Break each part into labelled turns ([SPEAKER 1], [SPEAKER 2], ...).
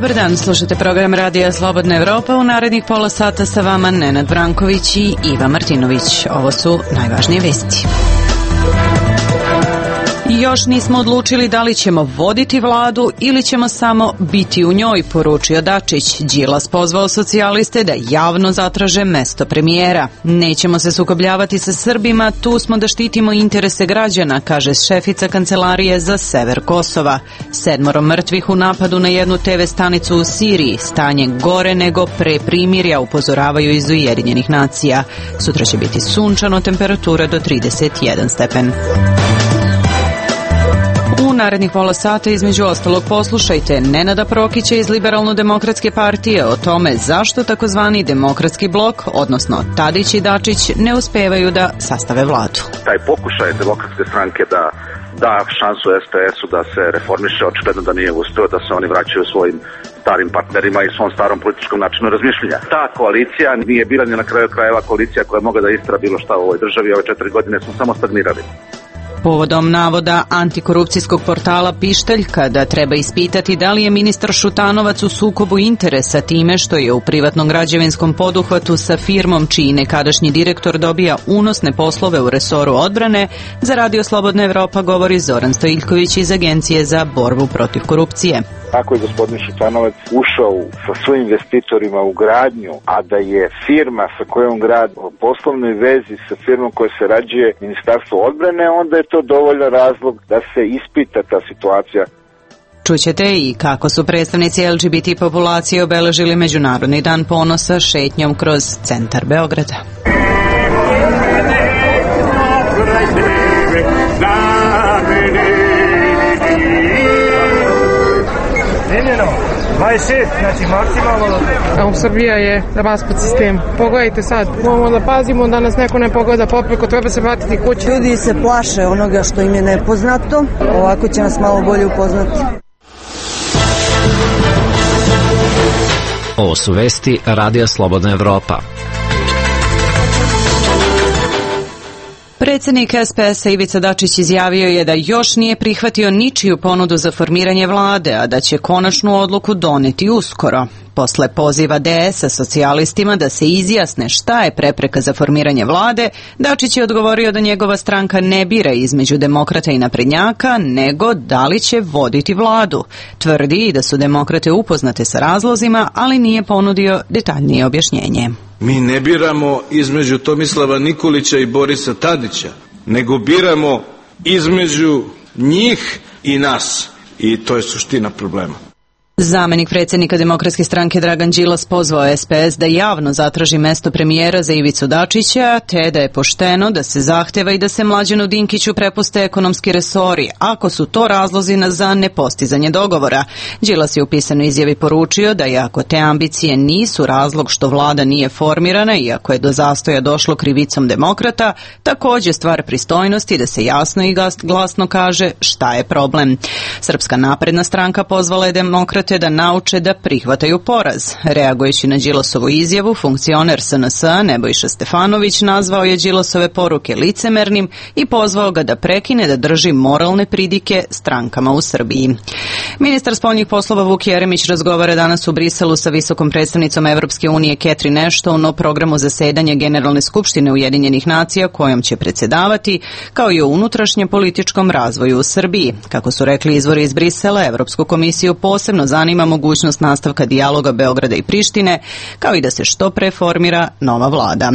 [SPEAKER 1] Dobar dan, slušate program Radija Slobodna Evropa. U narednih pola sata sa vama Nenad Branković i Iva Martinović. Ovo su najvažnije vesti. Još nismo odlučili da li ćemo voditi vladu ili ćemo samo biti u njoj, poručio Dačić. Đilas pozvao socijaliste da javno zatraže mesto premijera. Nećemo se sukobljavati sa Srbima, tu smo da štitimo interese građana, kaže šefica Kancelarije za sever Kosova. 7 mrtvih u napadu na jednu TV stanicu u Siriji. Stanje gore nego pre primirja, upozoravaju iz Ujedinjenih nacija. Sutra će biti sunčano, temperatura do 31 stepen. U narednih pola sata između ostalog poslušajte Nenada Prokića iz Liberalno-demokratske partije o tome zašto takozvani demokratski blok, odnosno Tadić i Dačić, ne uspevaju da sastave vladu.
[SPEAKER 2] Taj pokušaj demokratske stranke da šansu SPS-u da se reformiše, očigledno da nije uspeo, da se oni vraćaju svojim starim partnerima i svom starom političkom načinu razmišljanja. Ta koalicija nije bila ni na kraju krajeva koalicija koja je mogla da istera bilo šta u ovoj državi. Ove 4 godine smo samo stagnirali.
[SPEAKER 1] Povodom navoda antikorupcijskog portala Pištaljka da treba ispitati da li je ministar Šutanovac u sukobu interesa time što je u privatnom građevinskom poduhvatu sa firmom čiji nekadašnji direktor dobija unosne poslove u resoru odbrane, za Radio Slobodna Evropa govori Zoran Stojiljković iz Agencije za borbu protiv korupcije.
[SPEAKER 3] Ako je gospodin Šutanovac ušao sa svojim investitorima u gradnju, a da je firma sa kojom grad u poslovnoj vezi sa firmom koja se rađuje Ministarstvo odbrane, onda je to dovoljan razlog da se ispita ta situacija.
[SPEAKER 1] Čućete i kako su predstavnici LGBT populacije obeležili Međunarodni dan ponosa šetnjom kroz centar Beograda.
[SPEAKER 4] Snimljeno, 26, znači maksimalno.
[SPEAKER 5] A Srbija je raspad sistem. Pogledajte sad, moramo da pazimo da nas neko ne pogleda popreko, treba se vratiti kući.
[SPEAKER 6] Ljudi se plaše onoga što im je nepoznato, ovako će nas malo bolje upoznati.
[SPEAKER 7] Ovo su vesti Radija Slobodna Evropa.
[SPEAKER 1] Predsjednik SPS-a Ivica Dačić izjavio je da još nije prihvatio ničiju ponudu za formiranje vlade, a da će konačnu odluku doneti uskoro. Posle poziva DS-a socijalistima da se izjasne šta je prepreka za formiranje vlade, Dačić je odgovorio da njegova stranka ne bira između demokrata i naprednjaka, nego da li će voditi vladu. Tvrdi i da su demokrate upoznate sa razlozima, ali nije ponudio detaljnije objašnjenje.
[SPEAKER 8] Mi ne biramo između Tomislava Nikolića i Borisa Tadića, nego biramo između njih i nas. I to je suština problema.
[SPEAKER 1] Zamenik predsjednika Demokratske stranke Dragan Đilas pozvao SPS da javno zatraži mesto premijera za Ivicu Dačića, te da je pošteno da se zahteva i da se Mlađanu Dinkiću prepuste ekonomski resori, ako su to razlozi za nepostizanje dogovora. Đilas je u pisanoj izjavi poručio da iako te ambicije nisu razlog što vlada nije formirana, iako je do zastoja došlo krivicom demokrata, također stvar pristojnosti da se jasno i glasno kaže šta je problem. Srpska napredna stranka pozvala je demokrate da nauče da prihvataju poraz. Reagujući na Đilasovu izjavu, funkcioner SNS-a Nebojša Stefanović nazvao je Đilasove poruke licemernim i pozvao ga da prekine da drži moralne pridike strankama u Srbiji. Ministar spoljnih poslova Vuk Jeremić razgovara danas u Briselu sa visokom predstavnicom Evropske unije Catherine Ashton o programu zasedanja Generalne skupštine Ujedinjenih nacija kojom će predsjedavati, kao i o unutrašnjem političkom razvoju u Srbiji. Kako su rekli izvori iz Brisela, Evropsku komisiju posebno zanima mogućnost nastavka dijaloga Beograda i Prištine, kao i da se što pre formira nova vlada.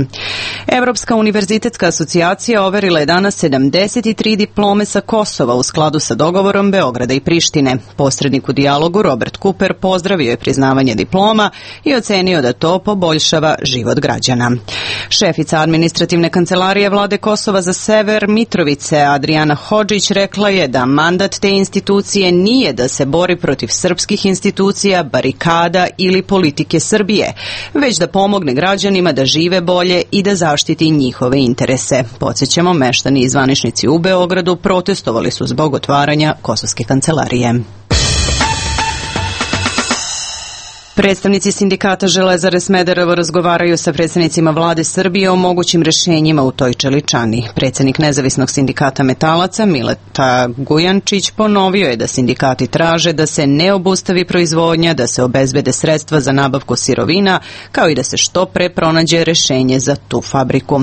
[SPEAKER 1] Evropska univerzitetska asocijacija overila je danas 73 diplome sa Kosova u skladu sa dogovorom Beograda i Prištine. Posrednik u dijalogu Robert Cooper pozdravio je priznavanje diploma i ocenio da to poboljšava život građana. Šefica administrativne kancelarije vlade Kosova za sever Mitrovice Adriana Hodžić rekla je da mandat te institucije nije da se bori protiv srpskih institucija, barikada ili politike Srbije, već da pomogne građanima da žive bolje i da zaštiti njihove interese. Podsjećamo, meštani i zvaničnici u Beogradu protestovali su zbog otvaranja kosovske kancelarije. Predstavnici sindikata Železare Smederevo razgovaraju sa predstavnicima vlade Srbije o mogućim rešenjima u toj čeličani. Predsednik nezavisnog sindikata metalaca Mileta Gujančić ponovio je da sindikati traže da se ne obustavi proizvodnja, da se obezbede sredstva za nabavku sirovina, kao i da se što pre pronađe rešenje za tu fabriku.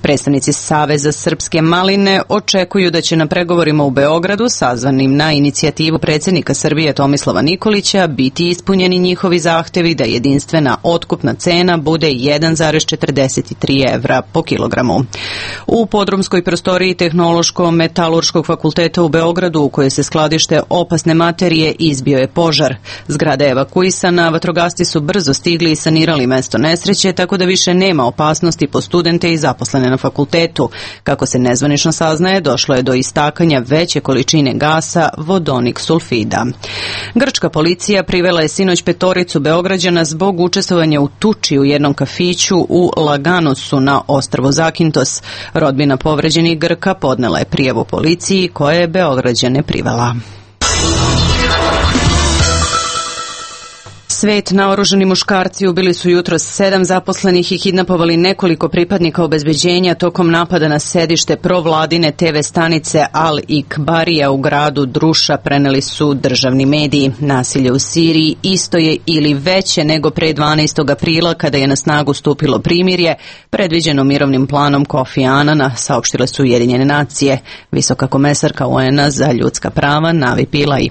[SPEAKER 1] Predstavnici Saveza Srpske maline očekuju da će na pregovorima u Beogradu, sazvanim na inicijativu predsednika Srbije Tomislava Nikolića, biti ispunjeni njihovi zahtevi da jedinstvena otkupna cena bude 1,43 evra po kilogramu. U podrumskoj prostoriji Tehnološko-metalurškog fakulteta u Beogradu, u kojoj se skladište opasne materije, izbio je požar. Zgrada je evakuisana, vatrogasci su brzo stigli i sanirali mesto nesreće, tako da više nema opasnosti po studente i zaposlene na fakultetu. Kako se nezvanično saznaje, došlo je do istakanja veće količine gasa vodonik sulfida. Grčka policija privela je sinoć 5 Beograđana zbog učestvovanja u tuči u jednom kafiću u Laganusu na ostrvu Zakintos. Rodbina povređenih Grka podnela je prijavu policiji koja je Beograđane privela. Svet naoružani muškarci ubili su jutros 7 zaposlenih i kidnapovali nekoliko pripadnika obezbeđenja tokom napada na sedište provladine TV stanice Al-Ikbarija u gradu Druša, preneli su državni mediji. Nasilje u Siriji isto je ili veće nego pre 12. aprila kada je na snagu stupilo primirje, predviđeno mirovnim planom Kofi Anana, saopštile su Ujedinjene nacije. Visoka komesarka UN-a za ljudska prava Navi Pillay.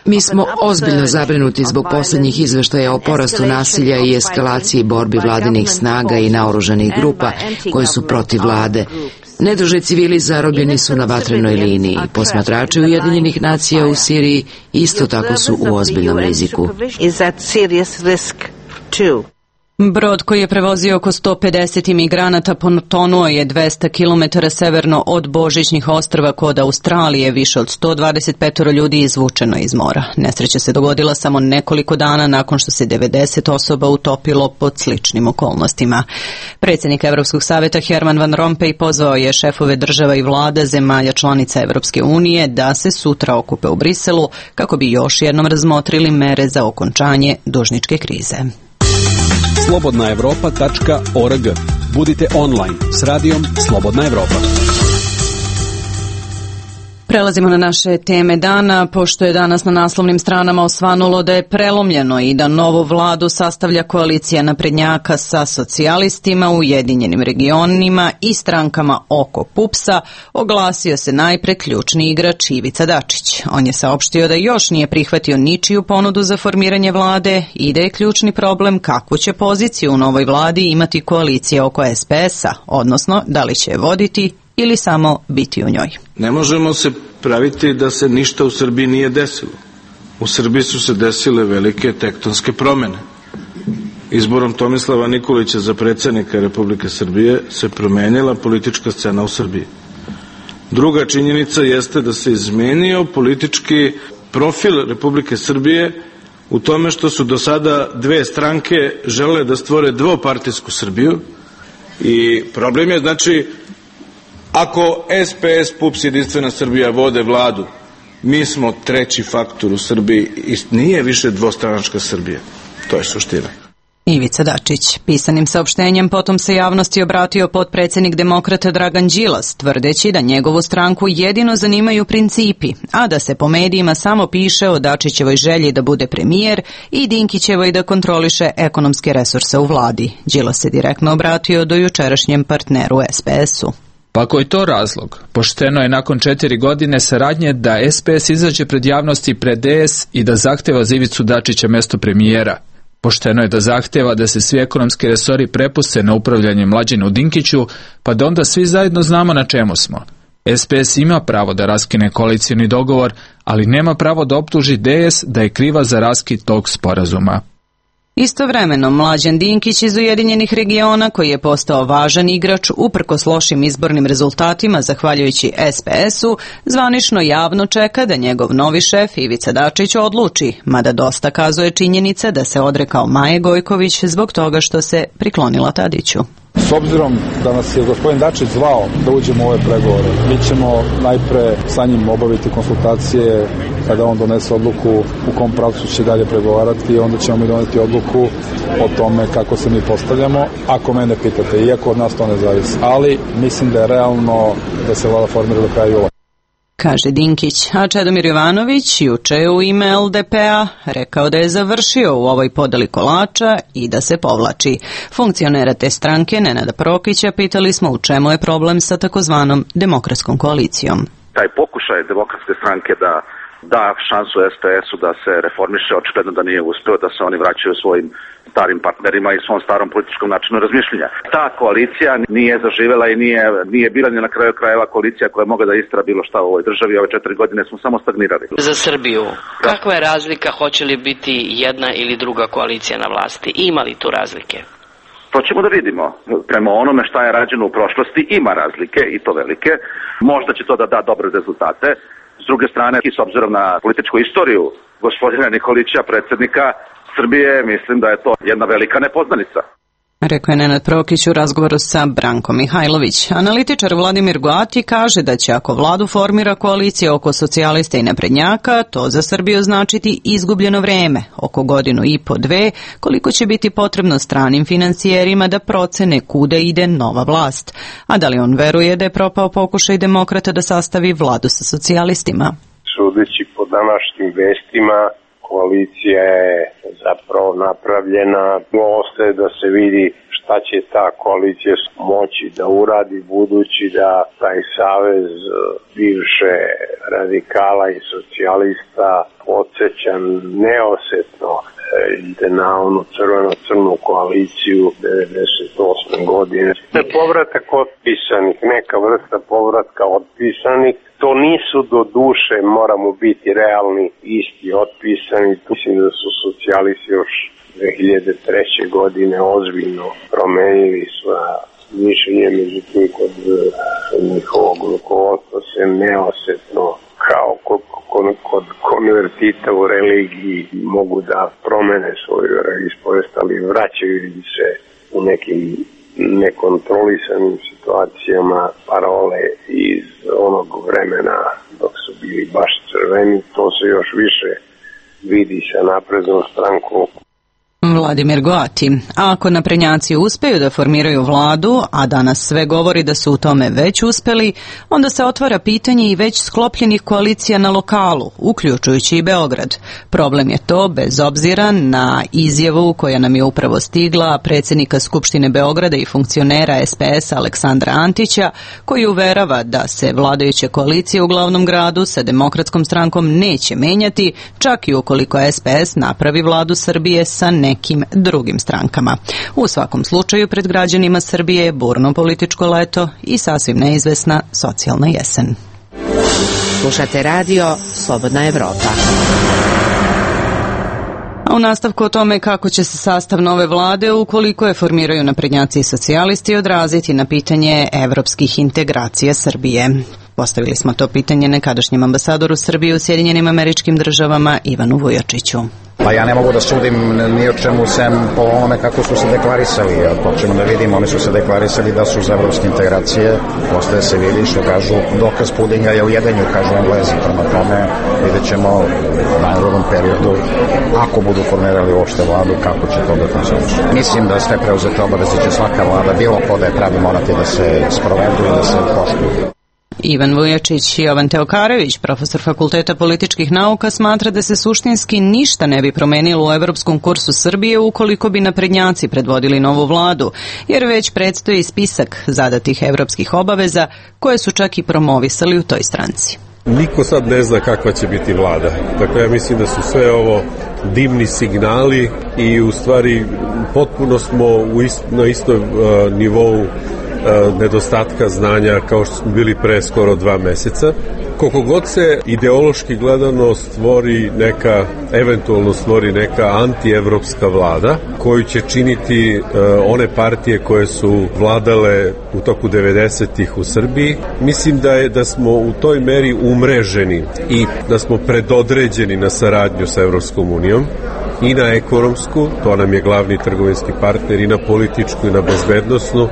[SPEAKER 9] Mi smo ozbiljno zabrinuti zbog posljednjih izveštaja o porastu nasilja i eskalaciji borbi vladinih snaga i naoružanih grupa koje su protiv vlade. Nedužni civili zarobljeni su na vatrenoj liniji. Posmatrači Ujedinjenih nacija u Siriji isto tako su u ozbiljnom riziku.
[SPEAKER 1] Brod koji je prevozio oko 150 imigranata potonuo je 200 km severno od Božićnih ostrva kod Australije. Više od 125 ljudi izvučeno iz mora. Nesreća se dogodila samo nekoliko dana nakon što se 90 osoba utopilo pod sličnim okolnostima. Predsjednik Evropskog savjeta Herman Van Rompuy pozvao je šefove država i vlada zemalja članica Evropske unije da se sutra okupe u Briselu kako bi još jednom razmotrili mere za okončanje dužničke krize.
[SPEAKER 10] slobodnaevropa.org. Budite online s radijom Slobodna Evropa.
[SPEAKER 1] Prelazimo na naše teme dana, pošto je danas na naslovnim stranama osvanulo da je prelomljeno i da novu vladu sastavlja koalicija naprednjaka sa socijalistima, Ujedinjenim regionima i strankama oko PUPS-a, oglasio se najpre ključni igrač Ivica Dačić. On je saopštio da još nije prihvatio ničiju ponudu za formiranje vlade i da je ključni problem kakvu će poziciju u novoj vladi imati koalicija oko SPS-a, odnosno da li će je voditi ili samo biti u njoj.
[SPEAKER 8] Ne možemo se praviti da se ništa u Srbiji nije desilo. U Srbiji su se desile velike tektonske promene. Izborom Tomislava Nikolića za predsjednika Republike Srbije se promenila politička scena u Srbiji. Druga činjenica jeste da se izmenio politički profil Republike Srbije u tome što su do sada dve stranke žele da stvore dvopartijsku Srbiju i problem je znači ako SPS, PUPS, Jedinstvena Srbija vode vladu, mi smo treći faktor u Srbiji i nije više dvostranačka Srbija. To je suština.
[SPEAKER 1] Ivica Dačić. Pisanim saopštenjem potom se javnosti obratio potpredsjednik demokrata Dragan Đilas, tvrdeći da njegovu stranku jedino zanimaju principi, a da se po medijima samo piše o Dačićevoj želji da bude premijer i Dinkićevoj da kontroliše ekonomske resurse u vladi. Đilas se direktno obratio do jučerašnjem partneru SPS-u.
[SPEAKER 11] Pa ako je to razlog, pošteno je nakon 4 godine saradnje da SPS izađe pred javnosti i pred DS i da zahteva za Ivicu Dačića mesto premijera. Pošteno je da zahteva da se svi ekonomski resori prepuste na upravljanje Mlađanu Dinkiću, pa da onda svi zajedno znamo na čemu smo. SPS ima pravo da raskine koalicioni dogovor, ali nema pravo da optuži DS da je kriva za raskid tog sporazuma.
[SPEAKER 1] Istovremeno, Mlađan Dinkić iz Ujedinjenih regiona, koji je postao važan igrač uprkos lošim izbornim rezultatima zahvaljujući SPS-u, zvanično javno čeka da njegov novi šef Ivica Dačić odluči, mada dosta kazuje činjenica da se odrekao Maje Gojković zbog toga što se priklonila Tadiću.
[SPEAKER 12] S obzirom da nas je gospodin Dačić zvao da uđemo u ove pregovore, mi ćemo najpre sa njim obaviti konsultacije kada on donese odluku u kom pravcu će dalje pregovarati i onda ćemo mi doneti odluku o tome kako se mi postavljamo, ako mene pitate, iako od nas to ne zavisi. Ali mislim da je realno da se vlada formira do kraja jula.
[SPEAKER 1] Kaže Dinkić, a Čedomir Jovanović juče u ime LDP-a rekao da je završio u ovoj podeli kolača i da se povlači. Funkcionera te stranke, Nenada Prokića, pitali smo u čemu je problem sa takozvanom demokratskom koalicijom.
[SPEAKER 2] Taj pokušaj demokratske stranke da šansu SPS-u da se reformiše, očigledno da nije uspeo, da se oni vraćaju svojim starim partnerima i svom starom političkom načinu razmišljanja. Ta koalicija nije zaživela i nije bila ni na kraju krajeva koalicija koja je mogla da istera bilo šta u ovoj državi. Ove 4 godine smo samo stagnirali.
[SPEAKER 13] Za Srbiju, kakva je razlika, hoće li biti jedna ili druga koalicija na vlasti? Ima li tu razlike?
[SPEAKER 2] To ćemo da vidimo. Prema onome šta je rađeno u prošlosti ima razlike i to velike. Možda će to da da dobre rezultate. S druge strane, i s obzirom na političku istoriju gospodina Nikolića, predsjednika Srbije, mislim da je to jedna velika nepoznanica.
[SPEAKER 1] Rekao je Nenad Prokić u razgovoru sa Brankom Mihajlović. Analitičar Vladimir Goati kaže da će ako vladu formira koalicija oko socijalista i naprednjaka, to za Srbiju značiti izgubljeno vreme, oko godinu i po, dve, koliko će biti potrebno stranim financijerima da procene kuda ide nova vlast. A da li on veruje da je propao pokušaj demokrata da sastavi vladu sa socijalistima?
[SPEAKER 14] Sudeći po današnjim vestima, koalicija je zapravo napravljena, ostaje da se vidi šta će ta koalicija moći da uradi, budući da taj savez bivše radikala i socijalista podsjeća neosetno na onu crveno-crnu koaliciju 98. godine. Povratak otpisanih, neka vrsta povratka otpisanih, to nisu do duše, moramo biti realni, isti otpisani. Mislim da su socijalisti još 2003. godine ozbiljno promenili sva mišljenje, međutim kod njihovog rukovodstva se neosetno kao kod konvertita u religiji mogu da promene svoju ispovest, ali vraćaju se u nekim nekontrolisanim situacijama parole iz onog vremena dok su bili baš crveni. To se još više vidi sa naprednom strankom.
[SPEAKER 1] Vladimir Goati. A ako naprednjaci uspeju da formiraju vladu, a danas sve govori da su u tome već uspeli, onda se otvara pitanje i već sklopljenih koalicija na lokalu, uključujući i Beograd. Problem je to, bez obzira na izjavu koja nam je upravo stigla predsjednika Skupštine Beograda i funkcionera SPS-a Aleksandra Antića, koji uverava da se vladajuće koalicije u glavnom gradu sa Demokratskom strankom neće menjati, čak i ukoliko SPS napravi vladu Srbije sa nekim drugim strankama. U svakom slučaju pred građanima Srbije je burno političko leto i sasvim neizvesna socijalna jesen.
[SPEAKER 9] Slušate radio Slobodna Evropa.
[SPEAKER 1] A u nastavku o tome kako će se sastav nove vlade, ukoliko je formiraju naprednjaci i socijalisti, odraziti na pitanje evropskih integracija Srbije. Postavili smo to pitanje nekadašnjem ambasadoru Srbije u Sjedinjenim Američkim Državama Ivanu Vujačiću.
[SPEAKER 15] Pa ja ne mogu da sudim ni o čemu sem po onome kako su se deklarisali. Ako ćemo da vidimo, oni su se deklarisali da su za evropske integracije, postaje se vidi što kažu, dokaz pudinga je u jedenju, kažu Englezi. Prema tome vidjet ćemo u najrodnom periodu, ako budu formirali uopšte vladu, kako će to da funkcioniše. Mislim da sve preuzete obaveze će svaka vlada, bilo ko da je pravi, morati da se sprovedu i da se poštuju.
[SPEAKER 1] Ivan Vujačić i Jovan Teokarević, profesor Fakulteta političkih nauka, smatra da se suštinski ništa ne bi promenilo u evropskom kursu Srbije ukoliko bi naprednjaci predvodili novu vladu, jer već predstoji spisak zadatih evropskih obaveza koje su čak i promovisali u toj stranci.
[SPEAKER 16] Niko sad ne zna kakva će biti vlada. Dakle, ja mislim da su sve ovo dimni signali i u stvari potpuno smo na istom nivou nedostatka znanja kao što smo bili pre skoro 2 meseca. Koliko god se ideološki gledano eventualno stvori neka antievropska vlada koju će činiti one partije koje su vladale u toku 90-ih u Srbiji, mislim da smo u toj meri umreženi i da smo predodređeni na saradnju sa Evropskom unijom i na ekonomsku, to nam je glavni trgovinski partner, i na političku i na bezbednosnu,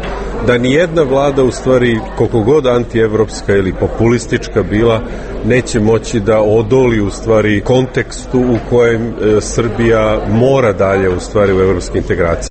[SPEAKER 16] da nijedna vlada, u stvari, koliko god antievropska ili populistička bila, neće moći da odoli, u stvari, kontekstu u kojem Srbija mora dalje, u stvari, u evropske integracije.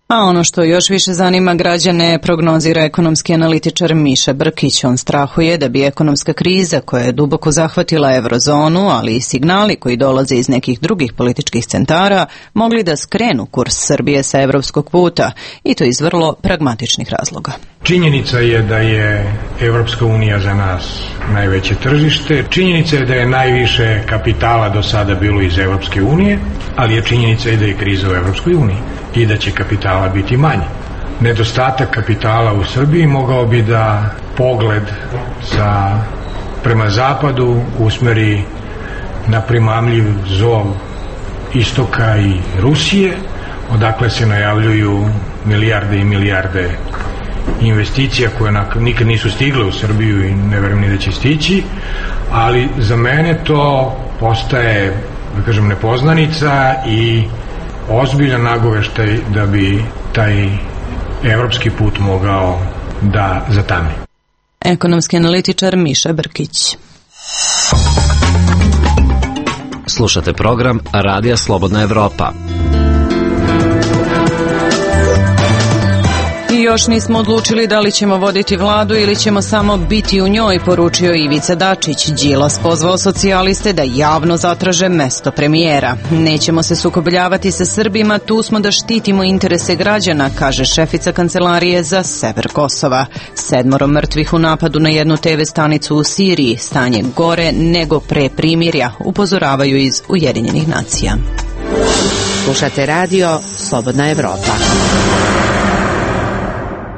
[SPEAKER 1] A ono što još više zanima građane prognozira ekonomski analitičar Miša Brkić. On strahuje da bi ekonomska kriza koja je duboko zahvatila eurozonu, ali i signali koji dolaze iz nekih drugih političkih centara, mogli da skrenu kurs Srbije sa evropskog puta, i to iz vrlo pragmatičnih razloga.
[SPEAKER 17] Činjenica je da je Evropska unija za nas najveće tržište. Činjenica je da je najviše kapitala do sada bilo iz Evropske unije, ali je činjenica i da je kriza u Evropskoj uniji i da će kapitala biti manje. Nedostatak kapitala u Srbiji mogao bi da pogled prema zapadu usmeri na primamljiv zov istoka i Rusije, odakle se najavljuju milijarde i milijarde investicija koje nikad nisu stigle u Srbiju i ne verujem ni da će stići, ali za mene to postaje, da kažem, nepoznanica i ozbiljan nagoveštaj da bi taj evropski put mogao da zatame.
[SPEAKER 1] Ekonomski analitičar Miša Brkić.
[SPEAKER 7] Slušate program Radija Slobodna Evropa.
[SPEAKER 1] I još nismo odlučili da li ćemo voditi vladu ili ćemo samo biti u njoj, poručio Ivica Dačić. Đilas pozvao socijaliste da javno zatraže mesto premijera. Nećemo se sukobljavati sa Srbima, tu smo da štitimo interese građana, kaže šefica kancelarije za sever Kosova. 7 mrtvih u napadu na jednu TV stanicu u Siriji. Stanje gore nego pre primirja, upozoravaju iz Ujedinjenih nacija.
[SPEAKER 9] Slušate radio Slobodna Evropa.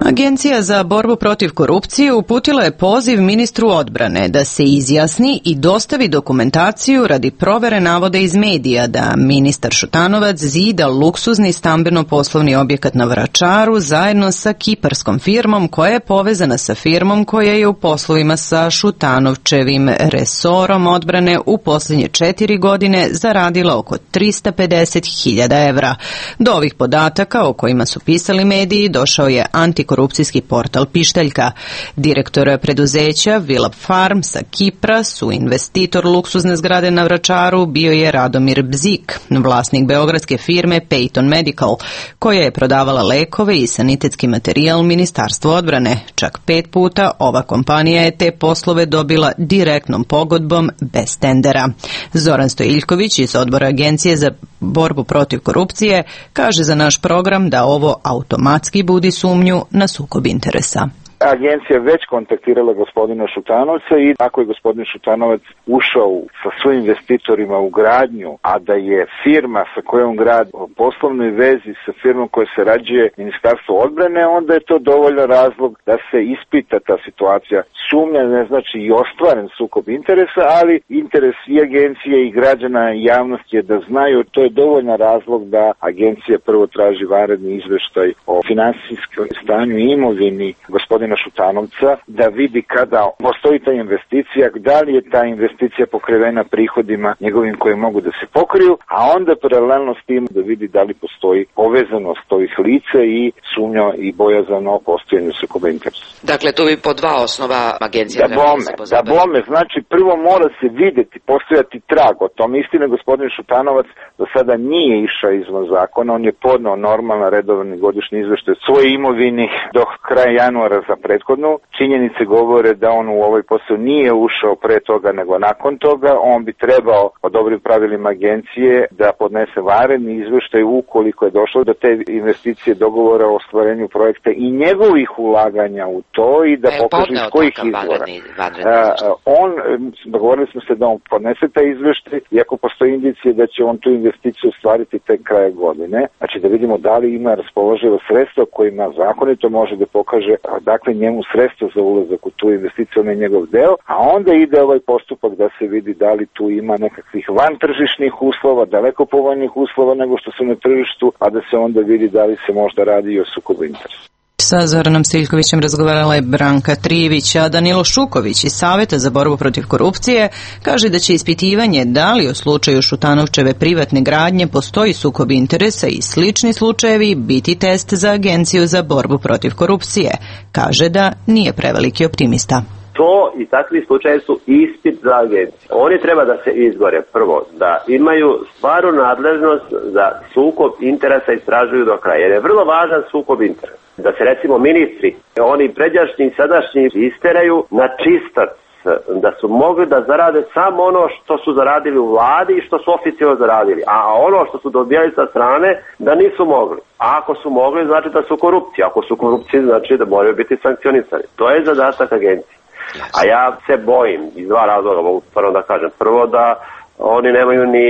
[SPEAKER 1] Agencija za borbu protiv korupcije uputila je poziv ministru odbrane da se izjasni i dostavi dokumentaciju radi provere navoda iz medija da ministar Šutanovac zida luksuzni stambeno-poslovni objekat na Vračaru zajedno sa kiparskom firmom koja je povezana sa firmom koja je u poslovima sa Šutanovčevim resorom odbrane u posljednje 4 godine zaradila oko 350.000 evra. Do ovih podataka o kojima su pisali mediji došao je antikorupcijski portal Pištaljka. Direktor preduzeća Vilap Farm sa Kipra, su investitor luksuzne zgrade na Vračaru, bio je Radomir Bzik, vlasnik beogradske firme Peyton Medical, koja je prodavala lekove i sanitetski materijal Ministarstvu odbrane. Čak 5 puta ova kompanija je te poslove dobila direktnom pogodbom bez tendera. Zoran Stojiljković iz odbora Agencije za borbu protiv korupcije kaže za naš program da ovo automatski budi sumnju na sukob interesa.
[SPEAKER 3] Agencija je već kontaktirala gospodina Šutanovca i ako je gospodin Šutanovac ušao sa svojim investitorima u gradnju, a da je firma sa kojom grad u poslovnoj vezi sa firmom koja se rađuje Ministarstvo odbrane, onda je to dovoljan razlog da se ispita ta situacija. Sumnja ne znači i ostvaren sukob interesa, ali interes i agencije i građana i javnosti je da znaju, to je dovoljan razlog da agencija prvo traži vanredni izveštaj o finansijskom stanju i imovini gospodina Šutanovca, da vidi kada postoji ta investicija, da li je ta investicija pokrivena prihodima njegovim koji mogu da se pokriju, a onda paralelno s tim da vidi da li postoji povezanost ovih lica i sumnja i bojazan o postojanju sukoba interesa.
[SPEAKER 9] Dakle, to bi po 2 osnova agencija
[SPEAKER 3] da bome, znači prvo mora se videti, postojati trag o tom. Istina, gospodin Šutanovac do sada nije išao izvan zakona, on je podneo normalan redovni godišnji izveštaj svoje imovini do kraja januara za prethodnu. Činjenice govore da on u ovaj posao nije ušao pre toga nego nakon toga. On bi trebao po dobrim pravilima agencije da podnese vanredni izveštaj ukoliko je došlo do te investicije, dogovora o ostvarenju projekta i njegovih ulaganja u to i da pokaže iz kojih izvora. Dogovorili smo se da on podnese taj izveštaj i ako postoji indicije da će on tu investiciju ostvariti tek kraja godine, znači da vidimo da li ima raspoloživo sredstva kojima zakonito može da pokaže dakle njemu sredstva za ulazak u tu investiciju, on je njegov deo, a onda ide ovaj postupak da se vidi da li tu ima nekakvih vantržišnih uslova, daleko povoljnih uslova nego što su na tržištu, a da se onda vidi da li se možda radi i o sukobu interesa.
[SPEAKER 1] Sa Zoranom Stiljkovićem razgovarala je Branka Trivić, a Danilo Šuković iz Saveta za borbu protiv korupcije kaže da će ispitivanje da li u slučaju Šutanovčeve privatne gradnje postoji sukob interesa i slični slučajevi biti test za Agenciju za borbu protiv korupcije. Kaže da nije preveliki optimista.
[SPEAKER 18] To i takvi slučajevi su ispit za agenciju. Oni treba da se izgore prvo, da imaju stvarnu nadležnost za sukob interesa istražuju do kraja. Jer je vrlo važan sukob interesa. Da se recimo ministri, oni pređašnji i sadašnji isteraju na čistac, da su mogli da zarade samo ono što su zaradili u vladi i što su oficijalno zaradili. A ono što su dobijali sa strane da nisu mogli. A ako su mogli znači da su korupcija. Ako su korupcije znači da moraju biti sankcionisani. To je zadatak agencije. A ja se bojim iz dva razloga, mogu stvarno da kažem. Prvo da oni nemaju ni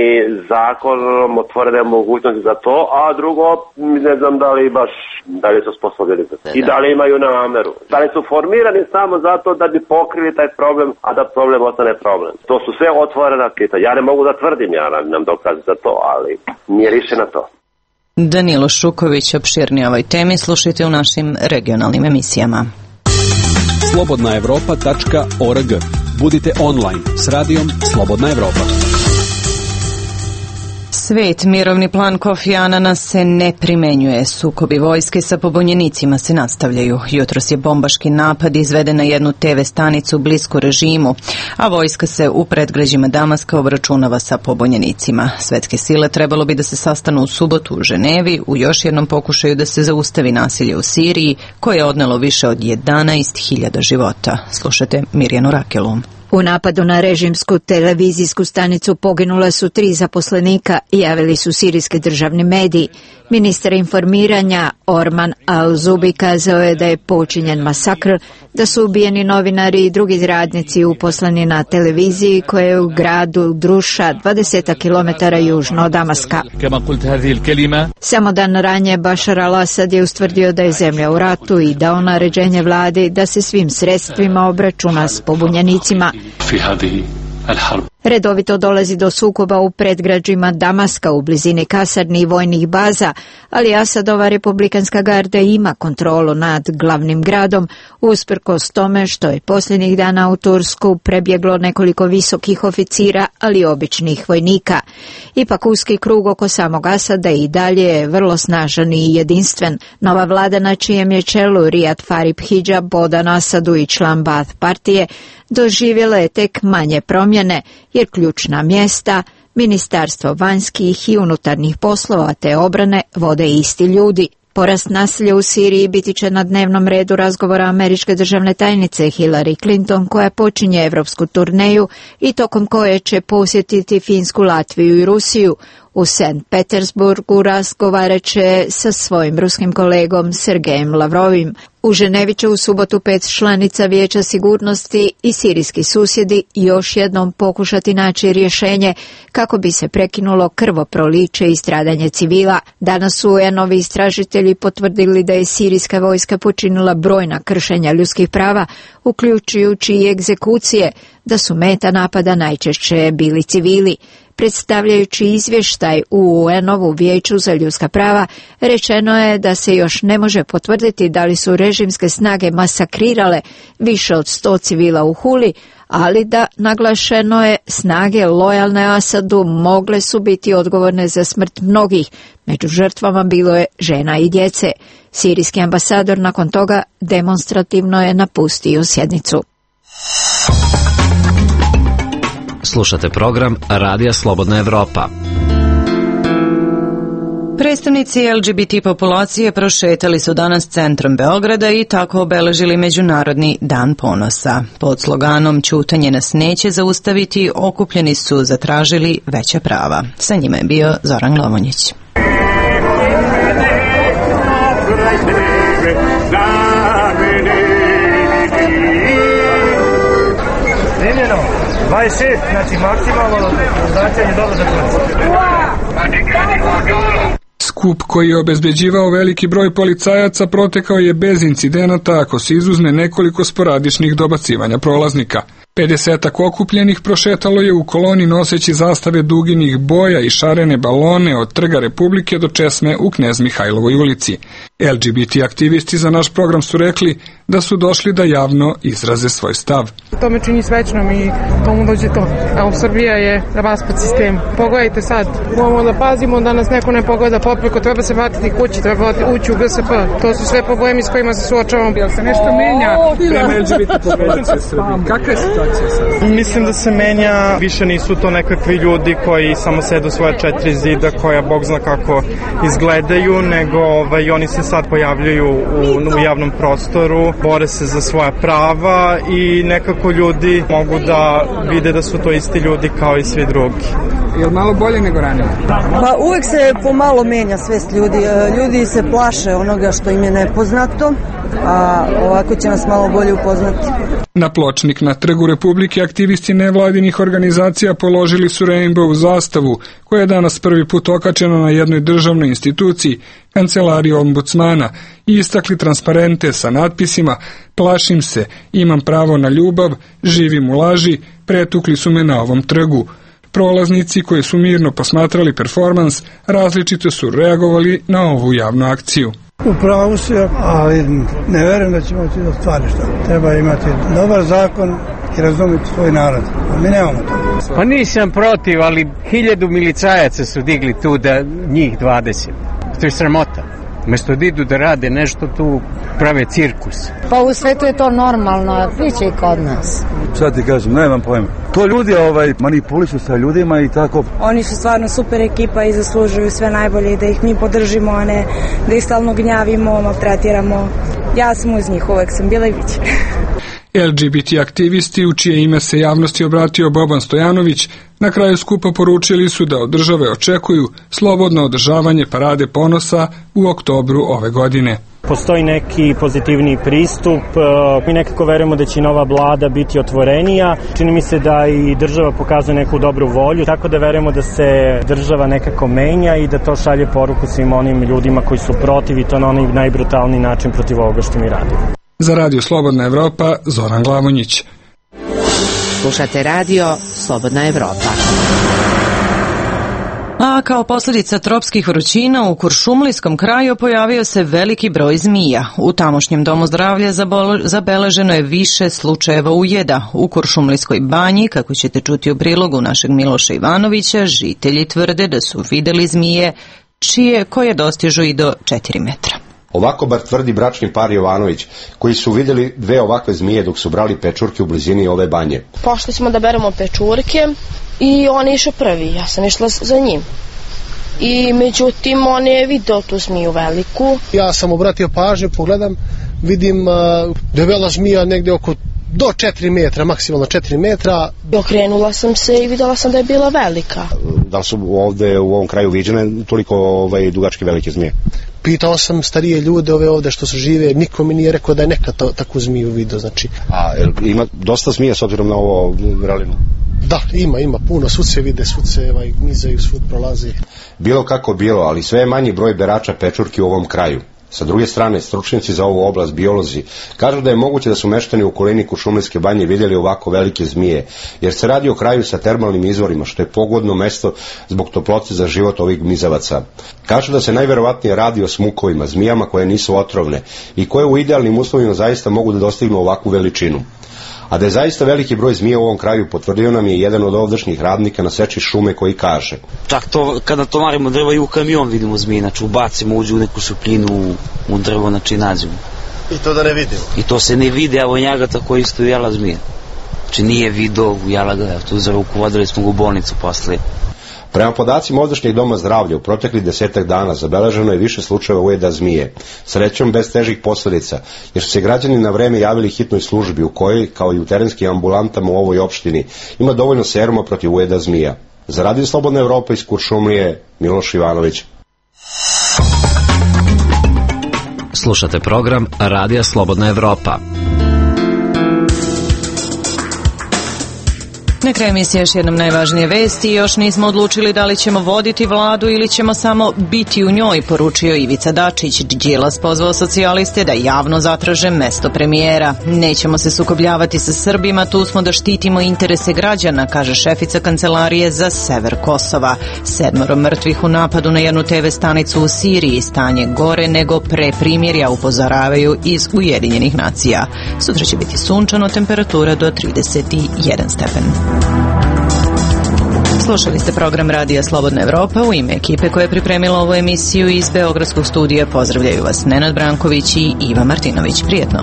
[SPEAKER 18] zakonom otvorene mogućnosti za to, a drugo ne znam da li su sposobni za to. I da li imaju nameru. Da li su formirani samo zato da bi pokrili taj problem, a da problem ostane problem. To su sve otvorena pitanja. Ja ne mogu da tvrdim, ja nam dokaz za to, ali nije rješeno to.
[SPEAKER 1] Danilo Šuković opširnije ovoj temi slušajte u našim regionalnim emisijama.
[SPEAKER 10] slobodnaevropa.org. Budite online s radijom Slobodna Evropa.
[SPEAKER 1] Svet, mirovni plan Kofi Anana se ne primenjuje. Sukobi vojske sa pobunjenicima se nastavljaju. Jutros je bombaški napad izveden na jednu TV stanicu blisku režimu, a vojska se u predgrađima Damaska obračunava sa pobunjenicima. Svetske sile trebalo bi da se sastanu u subotu u Ženevi u još jednom pokušaju da se zaustavi nasilje u Siriji, koje je odnelo više od 11.000 života. Slušajte Mirjanu Rakelu.
[SPEAKER 19] U napadu na režimsku televizijsku stanicu poginula su 3 zaposlenika, javili su sirijski državni mediji. Ministar informiranja Orman Al-Zubi kazao je da je počinjen masakr, da su ubijeni novinari i drugi radnici uposleni na televiziji koja je u gradu Druša 20 km južno od Damaska. Samo dan ranije Bashar al-Assad je ustvrdio da je zemlja u ratu i dao naređenje vladi da se svim sredstvima obračuna s pobunjenicima. Redovito dolazi do sukoba u predgrađima Damaska u blizini kasarni i vojnih baza, ali Asadova republikanska garda ima kontrolu nad glavnim gradom, usprkos tome što je posljednjih dana u Tursku prebjeglo nekoliko visokih oficira, ali i običnih vojnika. Ipak uski krug oko samog Asada i dalje je vrlo snažan i jedinstven. Nova vlada na čijem je čelu Riyad Farid Hijab, podan Asadu i član Baath partije, doživjela je tek manje promjene, jer ključna mjesta, Ministarstvo vanjskih i unutarnjih poslova te obrane vode isti ljudi. Porast nasilja u Siriji biti će na dnevnom redu razgovora američke državne tajnice Hillary Clinton, koja počinje evropsku turneju i tokom koje će posjetiti Finsku, Latviju i Rusiju. U St. Petersburgu razgovarat će sa svojim ruskim kolegom Sergejem Lavrovim. U Ženevi će u subotu 5 članica Vijeća sigurnosti i sirijski susjedi još jednom pokušati naći rješenje kako bi se prekinulo krvoproliće i stradanje civila. Danas su UN-ovi istražitelji potvrdili da je sirijska vojska počinila brojna kršenja ljudskih prava, uključujući i egzekucije, da su meta napada najčešće bili civili. Predstavljajući izvještaj u UN-ovu Vijeću za ljudska prava, rečeno je da se još ne može potvrditi da li su režimske snage masakrirale više od 100 civila u Huli, ali da, naglašeno je, snage lojalne Asadu mogle su biti odgovorne za smrt mnogih. Među žrtvama bilo je žena i djece. Sirijski ambasador nakon toga demonstrativno je napustio sjednicu.
[SPEAKER 7] Slušate program Radija Slobodna Evropa.
[SPEAKER 1] Predstavnici LGBT populacije prošetali su danas centrom Beograda i tako obeležili Međunarodni dan ponosa. Pod sloganom "Ćutanje nas neće zaustaviti" okupljeni su zatražili veća prava. Sa njima je bio Zoran Glamonjić.
[SPEAKER 4] Primjeno 26, znači maksimalno značenje dobro za
[SPEAKER 17] Skup koji je obezbeđivao veliki broj policajaca protekao je bez incidenata ako se izuzme nekoliko sporadičnih dobacivanja prolaznika.
[SPEAKER 20] 50 okupljenih prošetalo je u koloni noseći zastave duginih boja i šarene balone od Trga Republike do česme u Knez Mihajlovoj ulici. LGBT aktivisti za naš program su rekli da su došli da javno izraze svoj stav.
[SPEAKER 5] To me čini srećnom i tomu dođe to. Evo, Srbija je raspad sistem. Pogledajte sad, moramo da pazimo da nas neko ne pogleda popreko, treba se vratiti kući, treba ući u GSP. To su sve problemi s kojima se suočavamo.
[SPEAKER 20] Jel se nešto menja prema LGBT populaciji u Srbiji? Kakva je situacija sad?
[SPEAKER 21] Mislim da se menja, više nisu to nekakvi ljudi koji samo sedu svoje 4 zida koja Bog zna kako izgledaju, nego oni se sad pojavljuju u javnom prostoru, bore se za svoja prava i nekako ljudi mogu da vide da su to isti ljudi kao i svi drugi.
[SPEAKER 20] Je li malo bolje nego ranije?
[SPEAKER 6] Pa uvek se pomalo menja svest ljudi. Ljudi se plaše onoga što im je nepoznato, a ovako će nas malo bolje upoznati.
[SPEAKER 20] Na pločnik na Trgu Republike aktivisti nevladinih organizacija položili su Rainbow zastavu, koja je danas prvi put okačena na jednoj državnoj instituciji, kancelariji ombudsmana, i istakli transparente sa natpisima "Plašim se, imam pravo na ljubav, živim u laži, pretukli su me na ovom trgu". Prolaznici koji su mirno posmatrali performans različito su reagovali na ovu javnu akciju.
[SPEAKER 22] Upravo si, ali ne verujem da ćemo moći da ostvari što. Treba imati dobar zakon i razumjeti svoj narod. A mi nemamo to.
[SPEAKER 23] Pa nisam protiv, ali 1000 milicajaca su digli tu da njih 20. To je sramota. Mesto da idu da rade nešto tu, prave cirkus.
[SPEAKER 24] Pa u svetu je to normalno, biće i kod nas.
[SPEAKER 25] Sad ti kažem, nemam pojma. To ljudi manipulišu sa ljudima i tako.
[SPEAKER 26] Oni su stvarno super ekipa i zaslužuju sve najbolje i da ih mi podržimo, a ne da ih stalno gnjavimo, maltretiramo. Ja sam uz njih, uvek sam bila i biće.
[SPEAKER 20] LGBT aktivisti, u čije ime se javnosti obratio Boban Stojanović, na kraju skupa poručili su da od države očekuju slobodno održavanje Parade ponosa u oktobru ove godine.
[SPEAKER 27] Postoji neki pozitivni pristup, mi nekako verujemo da će nova vlada biti otvorenija, čini mi se da i država pokazuje neku dobru volju, tako da verujemo da se država nekako menja i da to šalje poruku svim onim ljudima koji su protiv i to na onaj najbrutalniji način protiv ovoga što mi radimo.
[SPEAKER 20] Za Radio Slobodna Evropa, Zoran Glavonjić.
[SPEAKER 9] Slušate Radio Slobodna Evropa.
[SPEAKER 1] A kao posljedica tropskih vrućina u Kuršumlijskom kraju pojavio se veliki broj zmija. U tamošnjem domu zdravlja zabeleženo je više slučajeva ujeda. U Kuršumlijskoj banji, kako ćete čuti u prilogu našeg Miloša Ivanovića, žitelji tvrde da su videli zmije koje dostižu i do 4 metra.
[SPEAKER 28] Ovako bar tvrdi bračni par Jovanović, koji su vidjeli 2 ovakve zmije dok su brali pečurke u blizini ove banje.
[SPEAKER 29] Pošli smo da beremo pečurke i on je išao prvi, ja sam išla za njim. I međutim on je video tu zmiju veliku.
[SPEAKER 30] Ja sam obratio pažnju, pogledam, vidim debela zmija negdje oko do 4 metra, maksimalno 4 metra.
[SPEAKER 29] Okrenula sam se i vidjela sam da je bila velika.
[SPEAKER 28] Da li su ovdje u ovom kraju viđene toliko dugačke velike zmije?
[SPEAKER 30] Pitao sam starije ljude ovdje što su žive, niko mi nije rekao da je nekad takvu zmiju vidio, znači.
[SPEAKER 28] A ima dosta zmije s obzirom na ovo vrelinu?
[SPEAKER 30] Da, ima puno, svud se vide, svud se gmizaju, svud prolazi.
[SPEAKER 28] Bilo kako bilo, ali sve je manji broj berača pečurki u ovom kraju. Sa druge strane, stručnjaci za ovu oblast, biolozi, kažu da je moguće da su meštani u okolini Kuršumlijske banje vidjeli ovako velike zmije, jer se radi o kraju sa termalnim izvorima, što je pogodno mesto zbog toplote za život ovih gmizavaca. Kažu da se najverovatnije radi o smukovima, zmijama koje nisu otrovne i koje u idealnim uslovima zaista mogu da dostignu ovakvu veličinu. A da je zaista veliki broj zmija u ovom kraju potvrdio nam je jedan od ovdašnjih radnika na seči šume koji kaže:
[SPEAKER 31] čak to kada tovarimo drva i u kamion vidimo zmije, znači ubacimo, uđu u neku šupljinu u drvo, znači nađemo.
[SPEAKER 30] I to da ne vidimo?
[SPEAKER 31] I to se ne vidi, evo njega tako isto jela zmije. Znači nije video, jela ga, tu za ruku vodili smo ga u bolnicu posle.
[SPEAKER 28] Prema podacima ovdašnjeg doma zdravlja, u proteklih 10 dana zabeleženo je više slučajeva ujeda zmije, srećom bez težih posljedica, jer su se građani na vreme javili hitnoj službi u kojoj, kao i u terenskim ambulantama u ovoj opštini, ima dovoljno seruma protiv ujeda zmija. Za Radio Slobodna Evropa iz Kuršumlije, Miloš Ivanović.
[SPEAKER 7] Slušate program Radija Slobodna Evropa.
[SPEAKER 1] Na kraju emisije još jednom najvažnije vesti. Još nismo odlučili da li ćemo voditi vladu ili ćemo samo biti u njoj, poručio Ivica Dačić. Đilas pozvao socijaliste da javno zatraže mesto premijera. Nećemo se sukobljavati sa Srbima, tu smo da štitimo interese građana, kaže šefica kancelarije za sever Kosova. 7 mrtvih u napadu na jednu TV stanicu u Siriji, stanje gore nego pre primirja, upozoravaju iz Ujedinjenih nacija. Sutra će biti sunčano, temperatura do 31 stepen. Slušali ste program Radija Slobodna Evropa. U ime ekipe koja je pripremila ovu emisiju iz Beogradskog studija pozdravljaju vas Nenad Branković i Iva Martinović. Prijetno.